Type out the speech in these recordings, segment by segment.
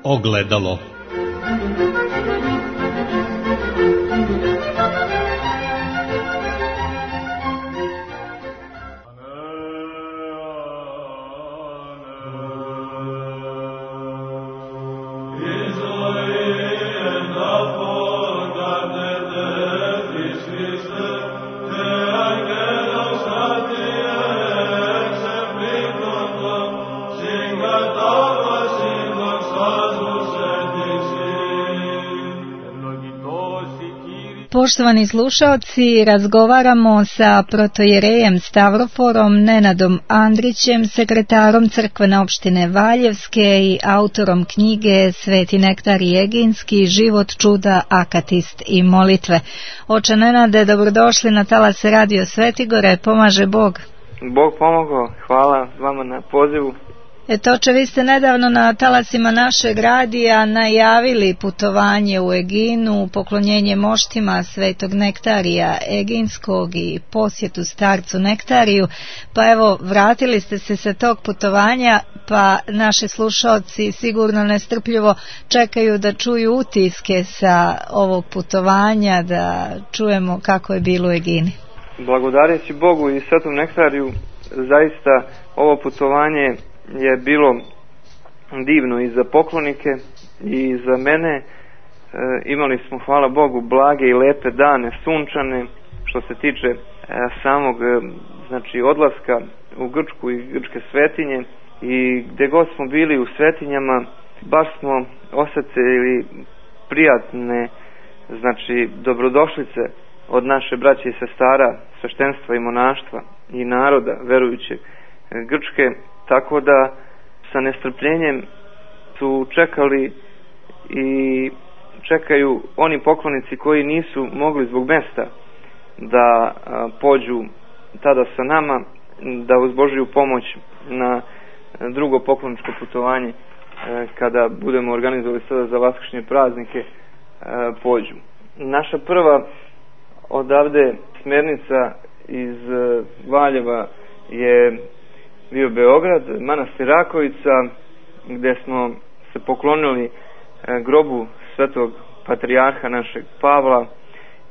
Ogledalo. Poštovani slušaoci, razgovaramo sa protojerejem Stavroforom Nenadom Andrićem, sekretarom crkvene opštine Valjevske i autorom knjige Sveti nektar Eginski, život, čuda, akatist i molitve. Oče Nenade, dobrodošli na talase Radio Svetigore, pomaže Bog. Bog pomogao, hvala vama na pozivu. Oče, vi ste nedavno na talasima našeg radija najavili putovanje u Eginu, poklonjenje moštima Svetog Nektarija Eginskog i posjetu starcu Nektariju, pa evo, vratili ste se sa tog putovanja, pa naši slušaoci sigurno nestrpljivo čekaju da čuju utiske sa ovog putovanja, da čujemo kako je bilo u Egini. Blagodareći Bogu i Svetom Nektariju, zaista ovo putovanje je bilo divno i za poklonike i za mene. Imali smo, hvala Bogu, blage i lepe dane, sunčane, što se tiče samog odlaska u Grčku i grčke svetinje, i gde god smo bili u svetinjama baš smo osetili prijatne dobrodošlice od naše braće i sestara, sveštenstva i monaštva i naroda verujućeg Grčke. Tako da sa nestrpljenjem su čekali i čekaju oni poklonici koji nisu mogli zbog mesta da pođu tada sa nama, da uz Božiju pomoć na drugo pokloničko putovanje kada budemo organizovali sada za vaskršnje praznike pođu. Naša prva odavde smernica iz Valjeva je bio Beograd, manastir Rakovica, gde smo se poklonili grobu svetog patrijarha našeg Pavla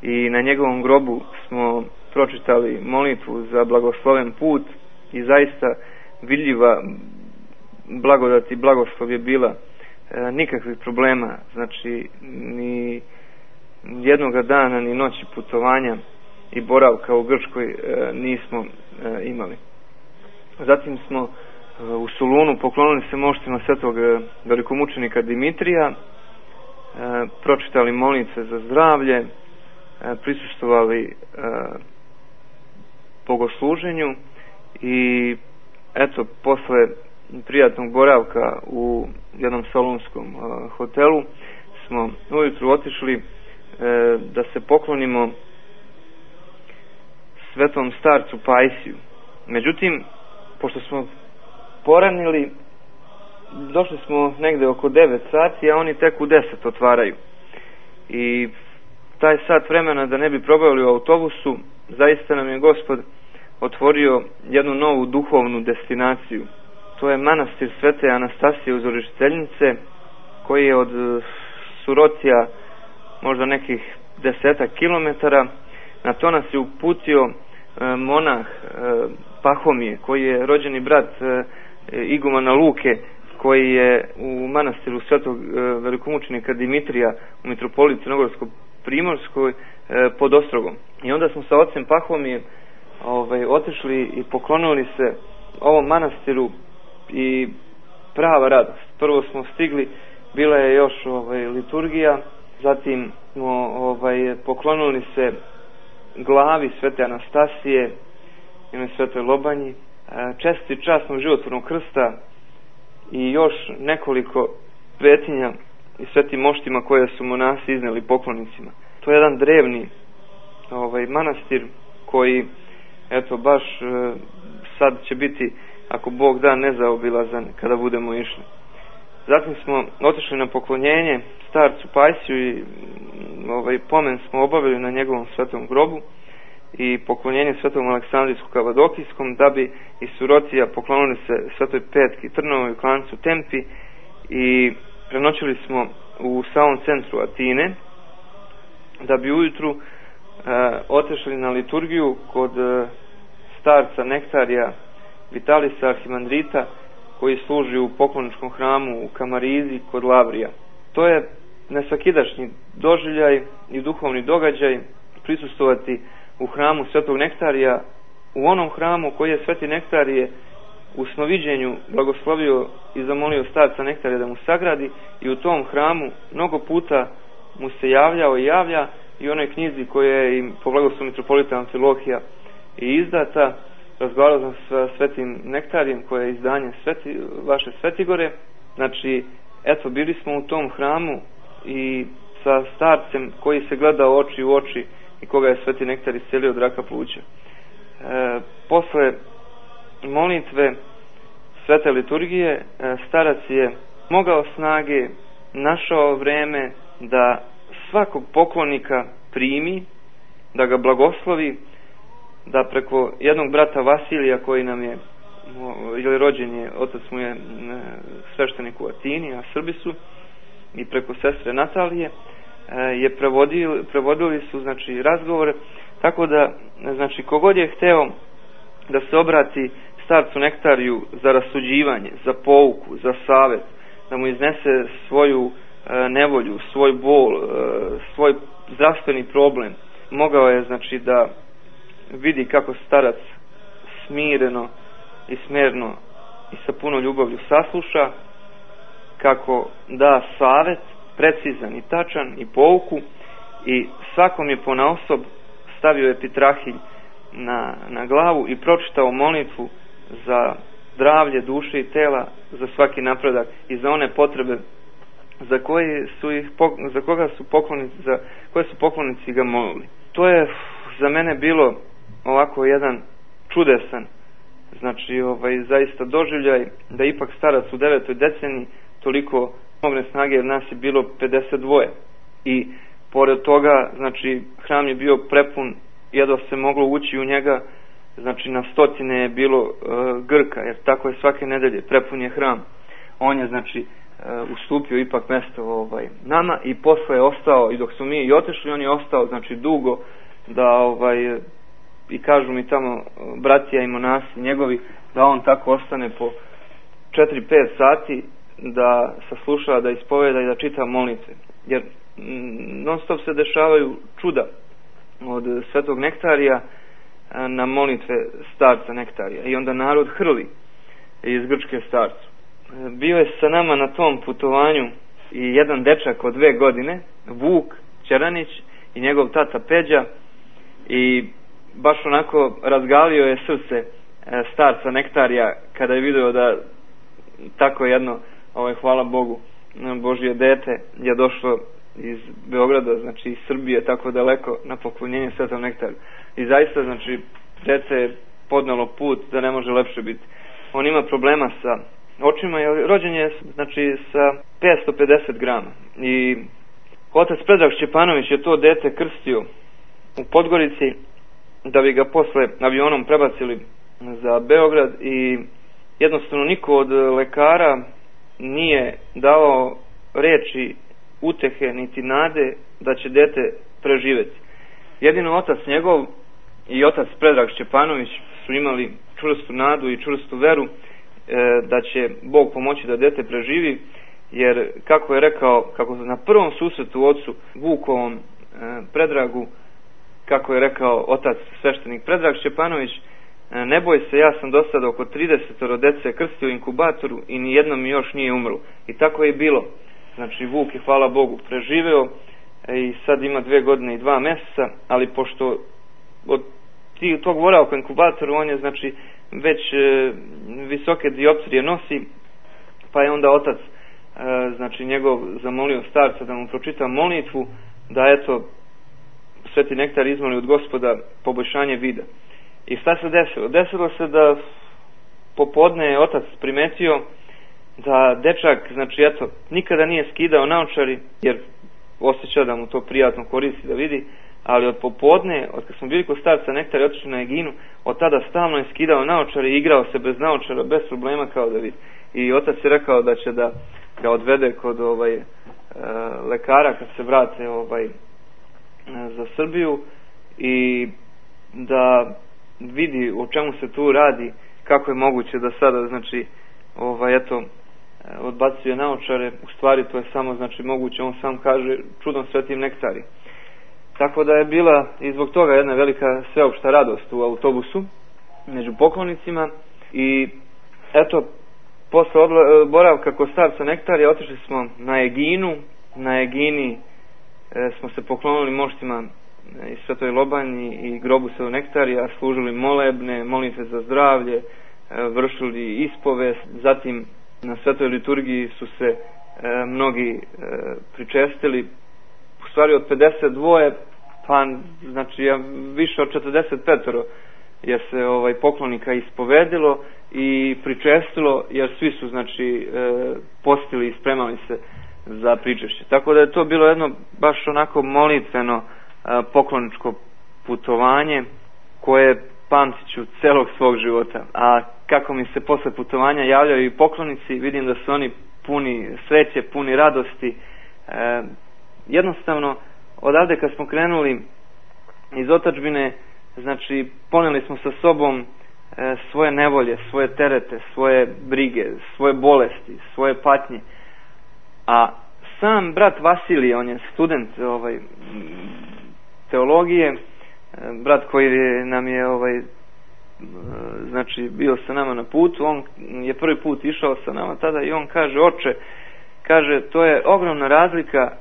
i na njegovom grobu smo pročitali molitvu za blagosloven put i zaista vidljiva blagodat i blagoslov je bila, nikakvih problema, ni jednoga dana ni noći putovanja i boravka u Grčkoj nismo imali. Zatim smo u Solunu poklonili se moštima svetog velikomučenika Dimitrija, pročitali molitve za zdravlje, prisustvovali bogosluženju i eto, posle prijatnog boravka u jednom solunskom hotelu smo ujutru otišli da se poklonimo svetom starcu Pajsiju. Međutim, pošto smo poranili, došli smo negde oko 9 sati, a oni tek u 10 otvaraju. I taj sat vremena da ne bi probavili u autobusu, zaista nam je Gospod otvorio jednu novu duhovnu destinaciju. To je manastir Svete Anastasije Uzorišteljnice, koji je od Surotija možda nekih 10 kilometara. Na to nas je uputio monah Pahomije, koji je rođeni brat igumana Luke, koji je u manastiru svetog velikomučenika Dimitrija u mitropoliji Crnogorsko-primorskoj pod Ostrogom. I onda smo sa ocem Pahomije otišli i poklonili se ovom manastiru i prava radost. Prvo smo stigli, bila je još liturgija, zatim smo poklonili se glavi Svete Anastasije i na Svetoj Lobanji, česti časnog životvornog krsta i još nekoliko svetinja i svetim moštima koje su monasi izneli poklonicima. To je jedan drevni manastir koji eto baš sad će biti, ako Bog da, nezaobilazan kada budemo išli. Zatim smo otišli na poklonjenje starcu Pajsiju i pomen smo obavili na njegovom svetom grobu i poklonjenje svetom Aleksandrijsku Kavadokijskom, da bi iz Surotija poklonili se Svetoj Petki Trnovoj, Klancu Tempi i prenoćili smo u samom centru Atine, da bi ujutru otišli na liturgiju kod starca Nektarija Vitalisa Arhimandrita, koji služi u pokloničkom hramu u Kamarizi kod Lavrija. To je nesvakidašnji doživljaj i duhovni događaj prisustvovati u hramu Svetog Nektarija, u onom hramu koji je Sveti Nektarije u snoviđenju blagoslovio i zamolio starca Nektarija da mu sagradi, i u tom hramu mnogo puta mu se javljao i javlja, i onoj knjizi koja je im po blagoslovu mitropolita Amfilohija i izdata. Razgovarao sam sa Svetim Nektarijem, koje je izdanje vaše Svetigore. Znači, eto, bili smo u tom hramu i sa starcem koji se gleda oči u oči i koga je Sveti Nektar iscelio od raka pluća. Posle molitve svete liturgije, starac je mogao snage, našao vreme da svakog poklonika primi, da ga blagoslovi, da preko jednog brata Vasilija, koji nam je, ili rođen je, otac mu je sveštenik u Atini, a Srbi su, i preko sestre Natalije, je prevodili su, znači, razgovore, tako da, znači, kogod je hteo da se obrati starcu Nektariju za rasuđivanje, za pouku, za savet, da mu iznese svoju nevolju, svoj bol, svoj zdravstveni problem, mogao je, znači, da vidi kako starac smireno i smerno i sa puno ljubavlju sasluša, kako da savet precizan i tačan i pouku, i svakom je ponaosob stavio epitrahilj na glavu i pročitao molitvu za zdravlje duše i tela, za svaki napredak i za one potrebe za koje su poklonici ga molili. To je za mene bilo ovako jedan čudesan, znači zaista doživljaj, da ipak starac u 9. deceniji toliko mogne snage, jer nas je bilo 52. I pored toga, znači, hram je bio prepun, jedva se moglo ući u njega, znači na stotine je bilo Grka, jer tako je svake nedelje, prepun je hram. On je, znači, ustupio ipak mesto nama, i posle je ostao, i dok smo mi i otišli, on je ostao, znači, dugo, da i kažu mi tamo bratija i monasi njegovi, da on tako ostane po 4-5 sati da sasluša, da ispoveda i da čita molitve. Jer non stop se dešavaju čuda od Svetog Nektarija na molitve starca Nektarija, i onda narod hrli iz Grčke starcu. Bio je sa nama na tom putovanju i jedan dečak od 2 godine, Vuk Ćeranić, i njegov tata Peđa, i baš onako razgalio je srce starca Nektarija kada je vidio da tako jedno, hvala Bogu, Božje dete je došlo iz Beograda, znači iz Srbije, tako daleko na poklonjenje Svetom Nektariju. I zaista, znači, dete je podnalo put da ne može lepše biti. On ima problema sa očima, jer rođen je, znači, sa 550 grama. I otac Predrag Šćepanović je to dete krstio u Podgorici, da bi ga posle avionom prebacili za Beograd, i jednostavno niko od lekara nije dao reči utehe niti nade da će dete preživeti. Jedino otac njegov i otac Predrag Šćepanović su imali čvrstu nadu i čvrstu veru da će Bog pomoći da dete preživi, jer kako je rekao, kako na prvom susretu ocu Vukovom Predragu, kako je rekao otac sveštenik Predrag Šćepanović, ne boj se, ja sam do sada oko 30 dece krstio u inkubatoru i nijedno mi još nije umrlo. I tako je bilo. Znači, Vuk je, hvala Bogu, preživeo i sad ima 2 godine i 2 meseca, ali pošto od tog boravka u inkubatoru on je, znači, već visoke dioptrije nosi, pa je onda otac, znači, njegov zamolio starca da mu pročita molitvu, da eto Sveti Nektar izmoli od Gospoda poboljšanje vida. I šta se desilo? Desilo se da popodne je otac primetio da dečak, znači, eto, nikada nije skidao naočari, jer osjeća da mu to prijatno koristi da vidi, ali od popodne, od kad smo bili kod starca Nektara i otišli na Eginu, od tada stalno je skidao naočare i igrao se bez naočara, bez problema, kao da vidi. I otac je rekao da će da ga odvede kod lekara kad se vrate za Srbiju i da vidi o čemu se tu radi, kako je moguće da sada znači odbacuje naočare. U stvari to je samo znači moguće, on sam kaže, čudom svetim nektari. Tako da je bila i zbog toga jedna velika sveopšta radost u autobusu među poklonicima. I eto, posle boravka kod starca Nektarija otišli smo na Eginu. Na Egini smo se poklonili moštima i Svetoj Lobanji i grobu Svetog Nektarija, služili molebne, molitve za zdravlje, vršili ispovest. Zatim na Svetoj liturgiji su se mnogi pričestili, u stvari od 52, pa znači više od 45 je se poklonika ispovedilo i pričestilo, jer svi su znači postili i spremali se za pričešće. Tako da je to bilo jedno baš onako molitveno pokloničko putovanje koje pamtit ću celog svog života. A kako mi se posle putovanja javljaju i poklonici, vidim da su oni puni sreće, puni radosti. Jednostavno, odavde kad smo krenuli iz otadžbine, znači poneli smo sa sobom svoje nevolje, svoje terete, svoje brige, svoje bolesti, svoje patnje. A sam brat Vasilije, on je student teologije, brat koji nam je znači bio sa nama na putu, on je prvi put išao sa nama tada i on kaže: oče, kaže, to je ogromna razlika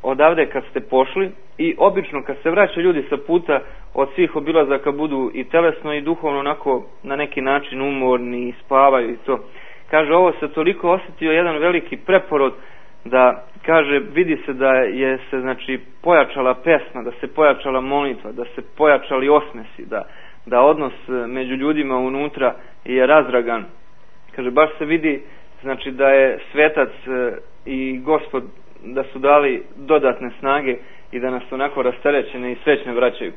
odavde kad ste pošli i obično kad se vraćaju ljudi sa puta od svih obilazaka budu i telesno i duhovno onako na neki način umorni i spavaju i to. Kaže, ovo se toliko osjetio jedan veliki preporod da, kaže, vidi se da je se znači pojačala pesma, da se pojačala molitva, da se pojačali osmesi, da odnos među ljudima unutra je razdragan. Kaže, baš se vidi znači da je svetac i Gospod da su dali dodatne snage i da nas onako rasterećene i srećne vraćaju.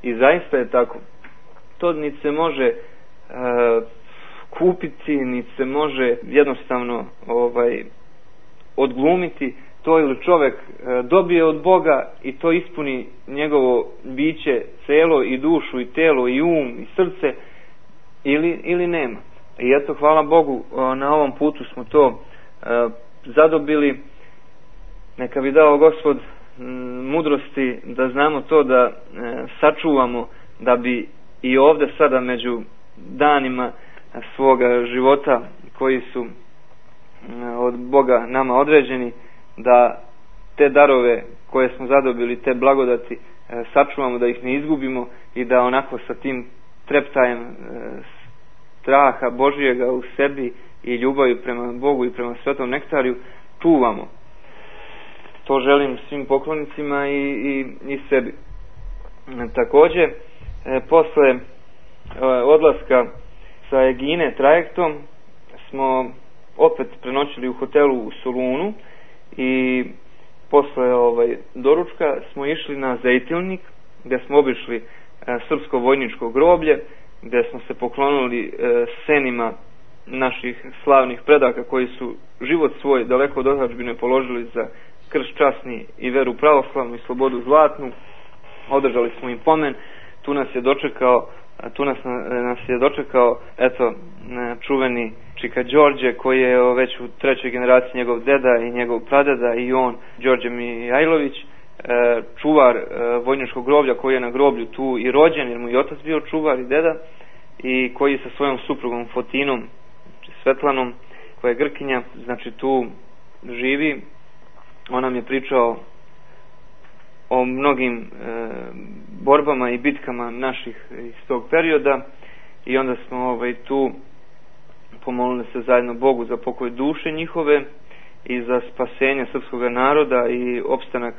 I zaista je tako. To niti se može kupiti, niti se može jednostavno odglumiti. To ili čovjek dobije od Boga i to ispuni njegovo biće celo, i dušu i telo i um i srce, ili nema. I eto, hvala Bogu, na ovom putu smo to zadobili. Neka bi dao Gospod mudrosti da znamo to da sačuvamo, da bi i ovdje sada među danima svoga života koji su od Boga nama određeni, da te darove koje smo zadobili, te blagodati sačuvamo, da ih ne izgubimo i da onako sa tim treptajem straha Božijega u sebi i ljubavi prema Bogu i prema Svetom Nektariju čuvamo. To želim svim poklonicima i sebi. Također, posle odlaska sa Egine trajektom smo opet prenoćili u hotelu u Solunu i posle doručka smo išli na Zejtilnik, gdje smo obišli srpsko vojničko groblje, gdje smo se poklonili senima naših slavnih predaka koji su život svoj daleko od otadžbine položili za krst časni i veru pravoslavnu i slobodu zlatnu. Održali smo im pomen. Tu nas je dočekao eto čuveni Čika Đorđe, koji je već u trećoj generaciji njegov deda i njegov pradeda, i on Đorđe Mijajlović, čuvar vojničkog groblja, koji je na groblju tu i rođen, jer mu i otac bio čuvar i deda, i koji sa svojom suprugom Fotinom, znači Svetlanom, koja je Grkinja, znači tu živi. On nam je pričao o mnogim borbama i bitkama naših iz tog perioda, i onda smo tu pomolili se zajedno Bogu za pokoj duše njihove i za spasenje srpskog naroda i opstanak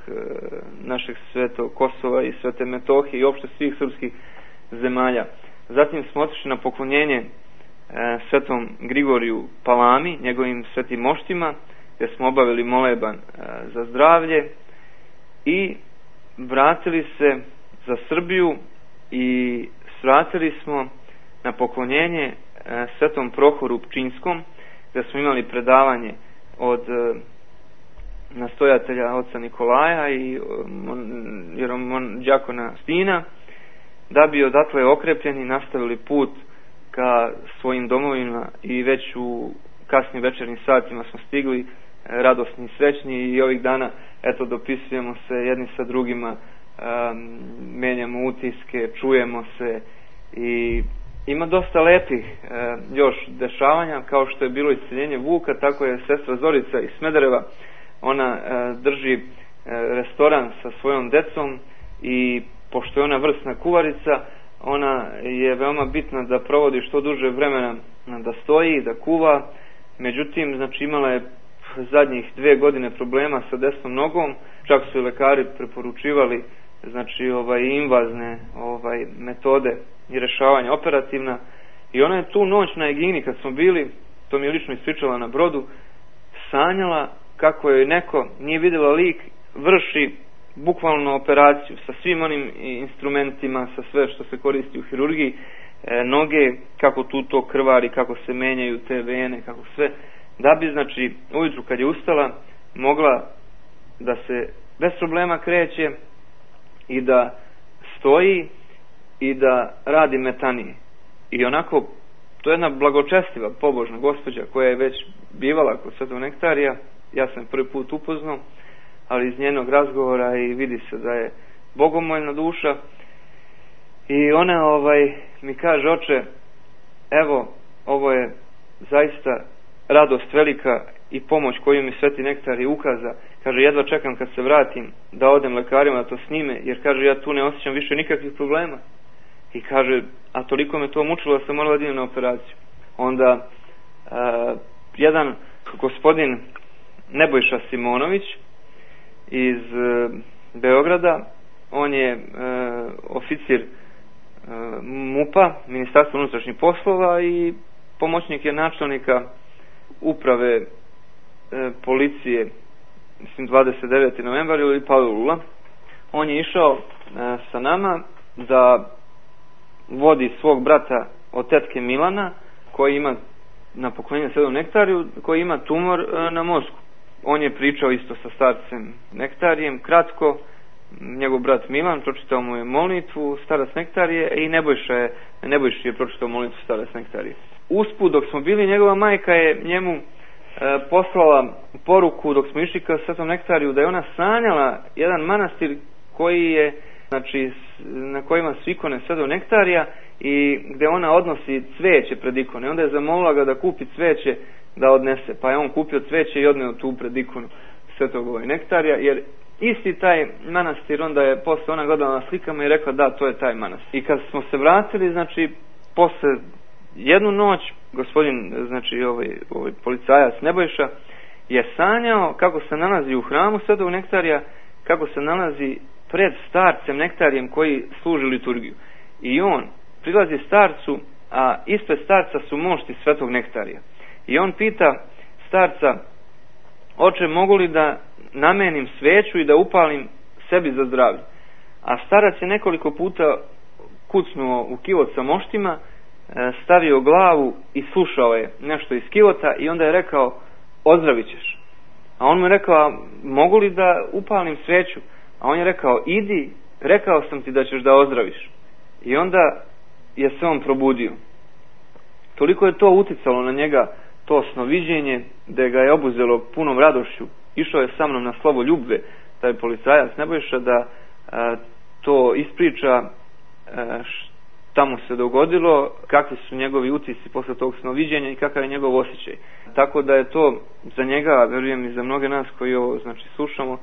našeg Svetog Kosova i Svete Metohije i opšte svih srpskih zemalja. Zatim smo otišli na poklonjenje Svetom Grigoriju Palami, njegovim svetim moštima, gdje smo obavili moleban za zdravlje i vratili se za Srbiju i svratili smo na poklonjenje Svetom Prohoru Pčinjskom, gdje smo imali predavanje od nastojatelja oca Nikolaja i đakona Stina, da bi odatle okrepljeni nastavili put ka svojim domovima i već u kasnim večernjim satima smo stigli radosni i srećni i ovih dana dopisujemo se jedni sa drugima, menjamo utiske, čujemo se i ima dosta lepih još dešavanja, kao što je bilo isceljenje Vuka, tako je sestra Zorica iz Smedereva, ona drži restoran sa svojom decom i pošto je ona vrsna kuvarica, ona je veoma bitna da provodi što duže vremena da stoji, da kuva. Međutim, znači imala je zadnjih 2 godine problema sa desnom nogom, čak su i lekari preporučivali znači invazne metode i rešavanja operativna, i ona je tu noć na Egini kad smo bili, to mi je lično ispričala na brodu, sanjala kako je neko, nije vidjela lik, vrši bukvalno operaciju sa svim onim instrumentima, sa sve što se koristi u hirurgiji, noge, kako tu to krvari, kako se menjaju te vene, kako sve, da bi znači ujutru kad je ustala mogla da se bez problema kreće i da stoji i da radi metanije. I onako, to je jedna blagočestiva, pobožna gospođa koja je već bivala kod Svetog Nektarija, ja sam prvi put upoznao, ali iz njenog razgovora i vidi se da je bogomoljna duša. I ona mi kaže: oče, evo, ovo je zaista radost velika i pomoć koju mi Sveti Nektarij ukaza. Kaže, jedva čekam kad se vratim da odem lekarima da to snime, jer kaže, ja tu ne osjećam više nikakvih problema. I kaže, a toliko me to mučilo da sam morala da idem na operaciju. Onda jedan gospodin Nebojša Simonović iz Beograda, on je oficir MUP-a, Ministarstva unutrašnjih poslova, i pomoćnik je načelnika uprave policije, mislim 29. novembar ili Palilula. On je išao sa nama da vodi svog brata od tetke Milana, koji ima na poklonjenju Svetom Nektariju, koji ima tumor na mozgu. On je pričao isto sa starcem Nektarijem, kratko, njegov brat Milan pročitao mu je molitvu starac Nektarije i Nebojši je pročitao molitvu starac Nektarije. Usput, dok smo bili, njegova majka je njemu poslala poruku dok smo išli ka Svetom Nektariju, da je ona sanjala jedan manastir koji je, znači, na kojima su ikone Svetog Nektarija i gde ona odnosi cveće pred ikone. Onda je zamolila ga da kupi cveće da odnese, pa je on kupio cveće i odneo tu pred ikonu Svetog Nektarija, jer isti taj manastir, onda je posle ona gledala na slikama i rekla da, to je taj manastir. I kad smo se vratili, znači posle jednu noć, gospodin, znači ovaj policajac Nebojša je sanjao kako se nalazi u hramu Svetog Nektarija, kako se nalazi pred starcem Nektarijem koji služi liturgiju. I on prilazi starcu, a ispred starca su mošti Svetog Nektarija. I on pita starca: oče, mogu li da namenim sveću i da upalim sebi za zdravlje? A starac je nekoliko puta kucnuo u kivot sa moštima, stavio glavu i slušao je nešto iz kivota i onda je rekao: ozdravit ćeš. A on mu je rekao: mogu li da upalim sveću? A on je rekao: idi, rekao sam ti da ćeš da ozdraviš. I onda je se on probudio. Toliko je to uticalo na njega, to snoviđenje, da ga je obuzelo punom radošću. Išao je sa mnom na slovo ljubve, taj policajac Nebojša, da to ispriča šta mu se dogodilo, kakvi su njegovi utisci posle tog snoviđenja i kakav je njegov osjećaj. Tako da je to za njega, verujem i za mnoge nas koji ovo znači slušamo,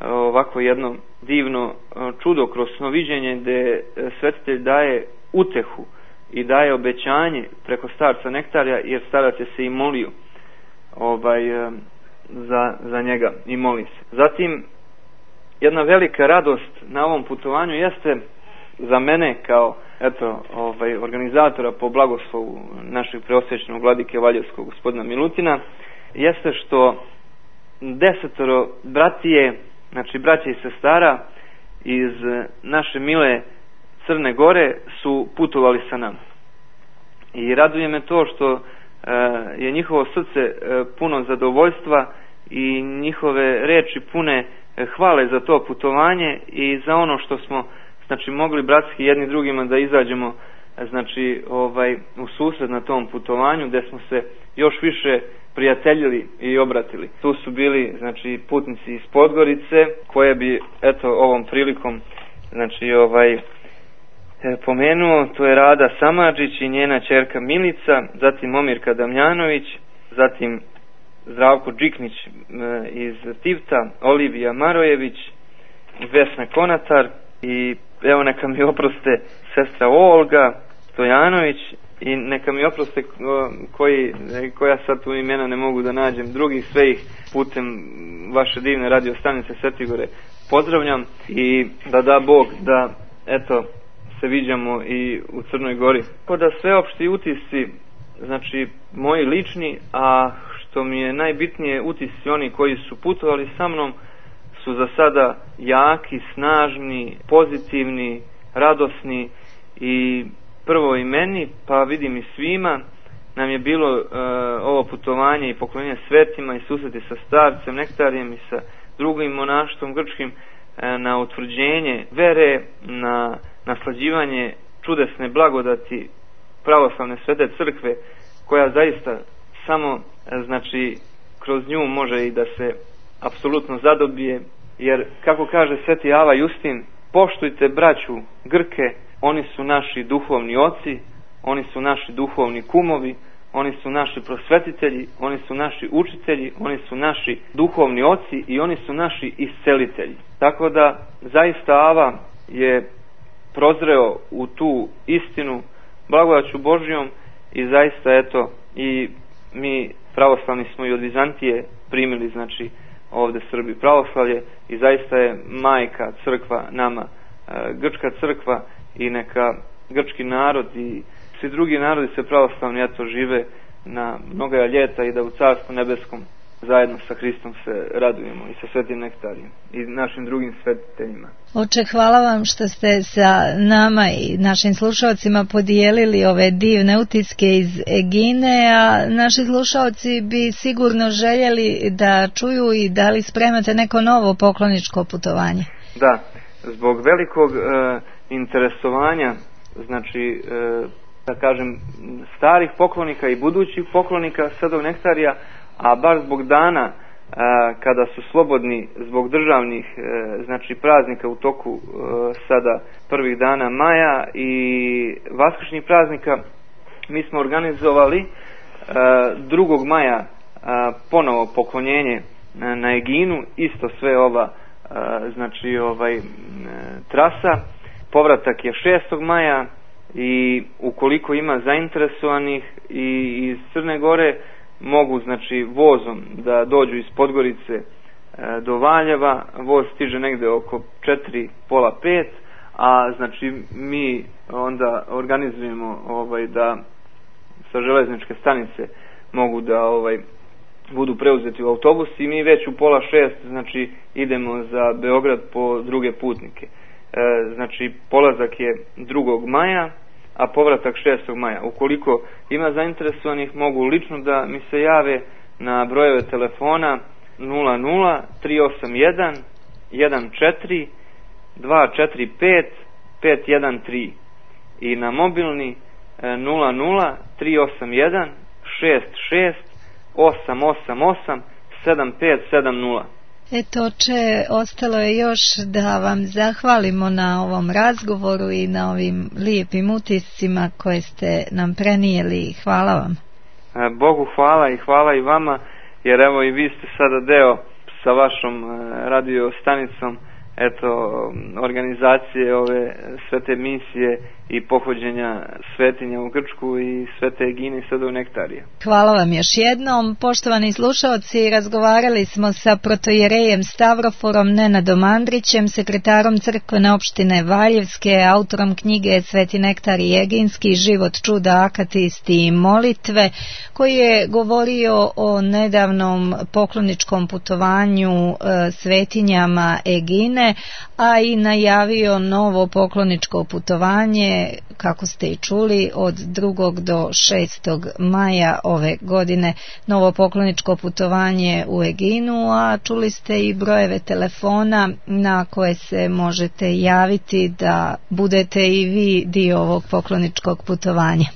ovako jedno divno čudo kroz snoviđenje, gde svetitelj daje utehu i daje obećanje preko starca Nektarija, jer starac je se i molio za njega i moli se. Zatim, jedna velika radost na ovom putovanju jeste za mene kao organizatora po blagoslovu našeg preosvećenog vladike Valjevskog gospodina Milutina, jeste što 10 bratije, znači braća i sestara iz naše mile Crne Gore su putovali sa nama. I raduje me to što je njihovo srce puno zadovoljstva i njihove reči pune hvale za to putovanje i za ono što smo znači mogli bratski jedni drugima da izađemo znači u susret na tom putovanju, gdje smo se još više prijateljili i obratili. Tu su bili znači putnici iz Podgorice, koje bi eto ovom prilikom znači pomenuo. To je Rada Samardžić i njena ćerka Milica, zatim Omirka Damjanović, zatim Zdravko Džiknić iz Tivta, Olivija Marojević, Vesna Konatar i evo neka mi oproste sestra Olga Stojanović i neka mi oproste koja sad tu imena ne mogu da nađem, drugih sve ih putem vaše divne radio stanice Svete Gore pozdravljam i da Bog da eto se viđamo i u Crnoj Gori. Tako da sveopšti utisci znači moji lični, a što mi je najbitnije, utisci oni koji su putovali sa mnom su za sada jaki, snažni, pozitivni, radosni i prvo i meni, pa vidim i svima, nam je bilo ovo putovanje i poklonjenje svetima i susreti sa starcem Nektarijem i sa drugim monaštvom grčkim na utvrđenje vere, na naslađivanje čudesne blagodati pravoslavne svete crkve, koja zaista samo znači kroz nju može i da se apsolutno zadobije, jer kako kaže sveti Ava Justin, poštujte braću Grke, oni su naši duhovni oci, oni su naši duhovni kumovi, oni su naši prosvetitelji, oni su naši učitelji, oni su naši duhovni oci i oni su naši iscelitelji. Tako da zaista Ava je prozreo u tu istinu blagodaću Božjom i zaista eto i mi pravoslavni smo i od Vizantije primili znači ovdje Srbi pravoslavlje i zaista je majka crkva nama, grčka crkva, i neka grčki narod i svi drugi narodi se pravoslavni eto žive na mnoga ljeta i da u Carstvu nebeskom zajedno sa Hristom se radujemo i sa Svetim Nektarijem i našim drugim svetiteljima. Oče, hvala vam što ste sa nama i našim slušalcima podijelili ove divne utiske iz Egine, a naši slušalci bi sigurno željeli da čuju i da li spremate neko novo pokloničko putovanje. Da, zbog velikog interesovanja, znači da kažem starih poklonika i budućih poklonika Svetog Nektarija, a baš zbog dana kada su slobodni zbog državnih znači praznika u toku sada prvih dana maja i vaskršnjih praznika, mi smo organizovali 2. maja ponovo poklonjenje na Eginu, isto sve ova znači trasa. Povratak je 6. maja i ukoliko ima zainteresovanih i iz Crne Gore mogu znači vozom da dođu iz Podgorice do Valjeva. Voz stiže negde oko 4, pola 5, a znači mi onda organizujemo da sa železničke stanice mogu da budu preuzeti u autobus i mi već u pola 6 znači idemo za Beograd po druge putnike. Znači polazak je 2. maja, a povratak 6. maja. Ukoliko ima zainteresovanih, mogu lično da mi se jave na brojeve telefona 00 381 14 245 513 i na mobilni 00 381 66 888 7570. Eto, oče, ostalo je još da vam zahvalimo na ovom razgovoru i na ovim lijepim utiscima koje ste nam prenijeli. Hvala vam. Bogu hvala i hvala i vama, jer evo i vi ste sada deo sa vašom radio stanicom organizacije ove svete misije i pohođenja svetinja u Grčku i Svete Egine i Svetog Nektarija. Hvala vam još jednom. Poštovani slušalci, razgovarali smo sa protojerejem Stavroforom Nenadom Andrićem, sekretarom crkvene opštine Valjevske, autorom knjige Sveti Nektarij Eginski, život, čuda, akatisti i molitve, koji je govorio o nedavnom pokloničkom putovanju svetinjama Egine, godine, a i najavio novo pokloničko putovanje, kako ste i čuli, od 2. do 6. maja ove godine, novo pokloničko putovanje u Eginu, a čuli ste i brojeve telefona na koje se možete javiti da budete i vi dio ovog pokloničkog putovanja.